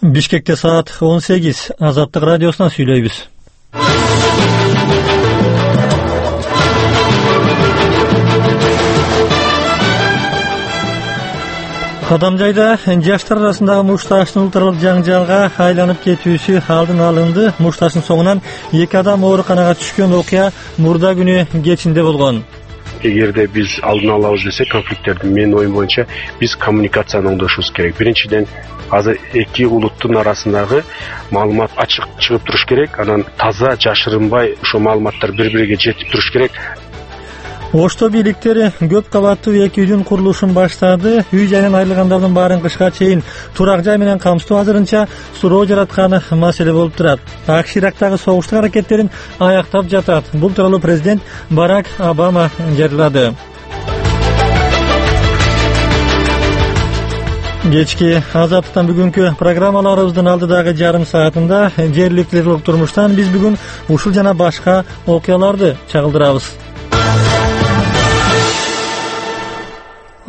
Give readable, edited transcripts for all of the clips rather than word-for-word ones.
Бишкекте саат 18. Азаттык радиосунан сүйлөйбүз. Кадамжайда жаштар арасындагы мушташтын улуттаралык жаңжалга айланып кетүүсү алдын алынды. Мушташтын соңунан 2 адам ооруканага түшкөн окуя мурда күнү кечинде болгон. Эгерде биз алдын алабыз десек, конфликттерди менин оюм боюнча биз коммуникацияны оңдошубуз керек. Биринчиден, азыр эки улуттун арасындагы маалымат ачык чыгып туруш керек. Анан таза жашырынбай ошо маалыматтар бири-бириге жетип туруш керек. Ошто бийликтери көп кабаттуу 2 үйдүн курулушун баштады. Үй жайынан айрылгандардын баарын кышка чейин турак жай менен камсыздоо азырынча суроо жараткан маселе болуп турат. АКШ Ирактагы согуштук аракеттерин аяктап жатат. Бул тууралуу президент Барак Обама жарыялады. Кечки Азаттыктан бүгүнкү программаларыбыздын алдыдагы жарым саатында жергиликтүү турмуштан биз бүгүн ушул жана башка окуяларды чагылдырабыз.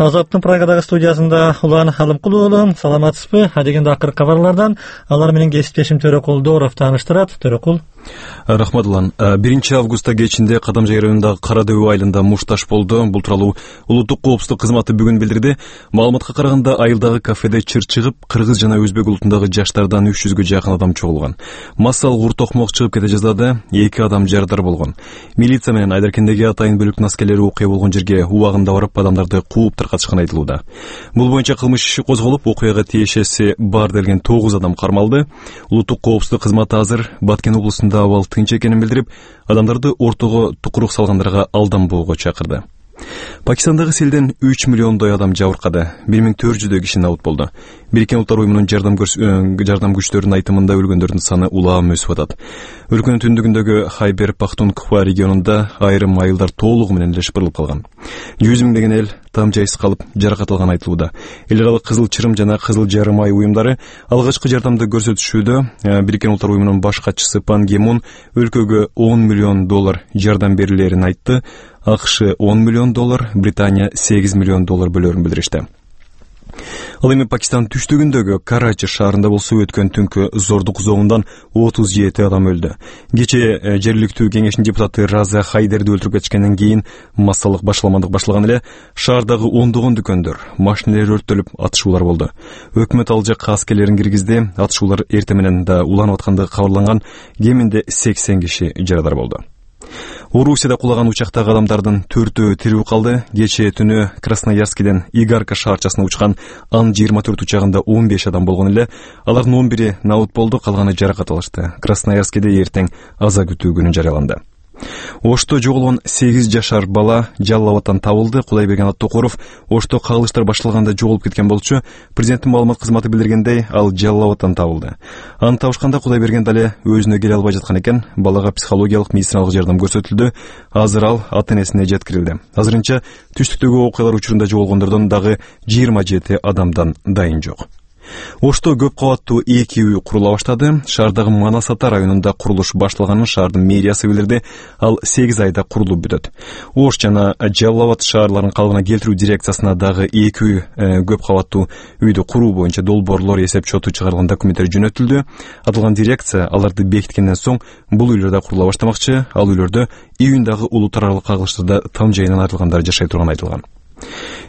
Азаттын Прагадагы студиясында Улан Алымкулуу уулу, саламатсызбы? Адегенде акыркы кабарлардан алар менен кесиптешим Төрөкул Дооров тааныштырат. Төрөкул. Рахмат Улан. 1 августта кечинде Кадамжай районундагы Кара Дөбө айылында мушташ болду. Бул тууралуу улуттук коопсуздук кызматы бүгүн билдирди. Маалыматка караганда айылдагы кафеде чыр чыгып, кыргыз жана өзбек улутундагы жаштардан 300гө жакын адам чогулган. Массалык ур-токмок чыгып кете жаздады, 2 адам жарадар болгон. Милиция менен Айдаркендеги атайын бөлүктүн аскерлери окуя болгон жерге убагында барып адамдарды кууп таркатышканы айтылууда. Бул боюнча кылмыш иши козголуп, окуяга тиешеси бар делген 9 адам кармалды. Улуттук коопсуздук кызматы азыр Баткен облусунда абал тынч экенин билдирип, адамдарды ортого тукурук салгандарга алданбоого чакырды. Пакистандагы селден 3 миллиондой адам жабыркады. 1400 киши набут болду. Бириккен Улуттар уюмунун жардам күчтөрүнүн айтымында өлгөндөрдүн саны улам өсүп атат. Өлкөнүн түндүгүндөгү Хайбер Пахтунква регионунда айрым айылдар толугу менен эле шыпырылып калган. 100 миңдеген эл там жайсыз калып жаракат алган айтылууда. Эл аралык Кызыл Чырым жана Кызыл Жарым ай уюмдары алгачкы жардамды көрсөтүшүүдө. Бириккен Улуттар уюмунун баш катчысы Пан Ги Мун өлкөгө $10 миллион жардам берилерин айтты. АКШ $10 миллион, Британия $8 миллион бөлөрүн билдиришти. Ал эми Пакистан түштүгүндөгү Карачи шаарында болсо өткөн түнкү зордук зоонундан 37 адам өлдү. Кечээ жергиликтүү кеңештин депутаты Раза Хайдерди өлтүрүп кетишкенден кийин массалык башаламандык башталган эле. Шаардагы ондогон дүкөндөр, машиналар өрттөлүп, атышуулар болду. Өкмөт ал жакка аскерлерин киргизди. Атышуулар эртең менен да уланып аткандыгы кабарланган. Кеминде 80 киши жарадар болду. Орусияда кулаган учактагы адамдардын 4-өө тирүү калды. Кечээ түнү Красноярскиден Игарка шаарчасына учкан Ан-24 учагында 15 адам болгон эле. Алардын 11-и набут болду, калганы жаракат алышты. Красноярскиде эртең аза күтүү күнү жарыяланды. Ошто жоголгон 8 жашар бала Жалал Абадтан табылды. Кудайберген Аттокоров Ошто кагылыштар башталганда жоголуп кеткен болчу. Президенттин маалымат кызматы билдиргендей, ал Жалал Абадтан табылды. Аны табышканда Кудайберген дале өзүнө келе албай жаткан экен. Балага психологиялык медициналык жардам көрсөтүлдү. Азыр ал ата-энесине жеткирилди. Азырынча түштүктөгү окуялар учурунда жоголгондордон дагы 27 адамдан дайын жок. Ошто көп кабаттуу 2 үй курула баштады. Шаардагы Манасата районунда курулуш башталганын шаардын мэриясы билдирди. Ал 8 айда курулуп бүтөт. Ош жана Жалал Абад шаарларын калыбына келтирүү дирекциясына дагы 2 үй көп кабаттуу үйдү куруу боюнча долбоорлор эсеп чоту чыгарылган документтер жөнөтүлдү. Аталган дирекция аларды бекиткенден соң бул үйлөрдө курула баштамакчы. Ал үйлөрдө июндагы улуттар аралык кагылыштарда там жайынан айрылгандар жашай турганы айтылган.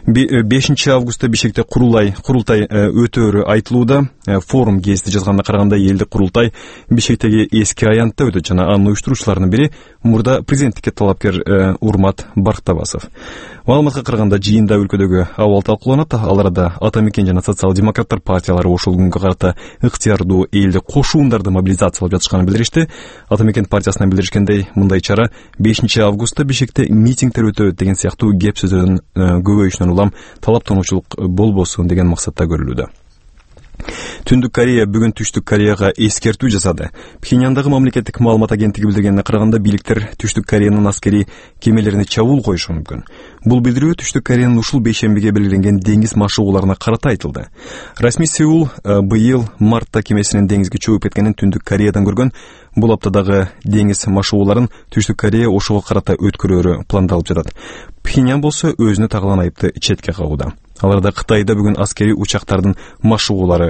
5 августта Бишкекте курултай өтөөрү айтылууда. Форум гезити жазганда караганда элдик курултай Бишкектеги эски аянтта өтөт жана анын уюштуруучуларынын бири мурда президенттикке талапкер Урмат Барктабасов. Маалыматка караганда жыйында өлкөдөгү абал талкууланат. Ал арада Ата Мекен жана социал-демократтар партиялары ошол күнгө карата ыктыярдуу элдик кошуундарды мобилизациялап жатышканын билдиришти. Ата Мекен партиясынан билдиришкендей, мындай чара 5 августта Бишкекте митингдер өтөт деген сыяктуу кеп сөздөрдүн көбөйүшүнөн улам талаптануучулук болбосун деген максатта көрүлүүдө. Түндүк Корея бүгүн Түштүк Кореяга эскертүү жасады. Пхеньяндагы мамлекеттик маалымат агенттиги билдиргенине караганда бийликтер Түштүк Кореянын аскери кемелерине чабуул коюшу мүмкүн. Бул билдирүү Түштүк Кореянын ушул бейшембиге белгиленген деңиз машыгууларына карата айтылды. Расмий Сеул быйыл мартта кемесинин деңизге чөгүп кеткенин Түндүк Кореядан көргөн. Бул аптадагы деңиз машыгууларын Түштүк Корея ошого карата өткөрөөрү пландалып жатат. Пхеньян болсо өзүнө тагылган айыпты четке кагууда. Аларда Кытайда бүгүн аскери учактардын машыгуулары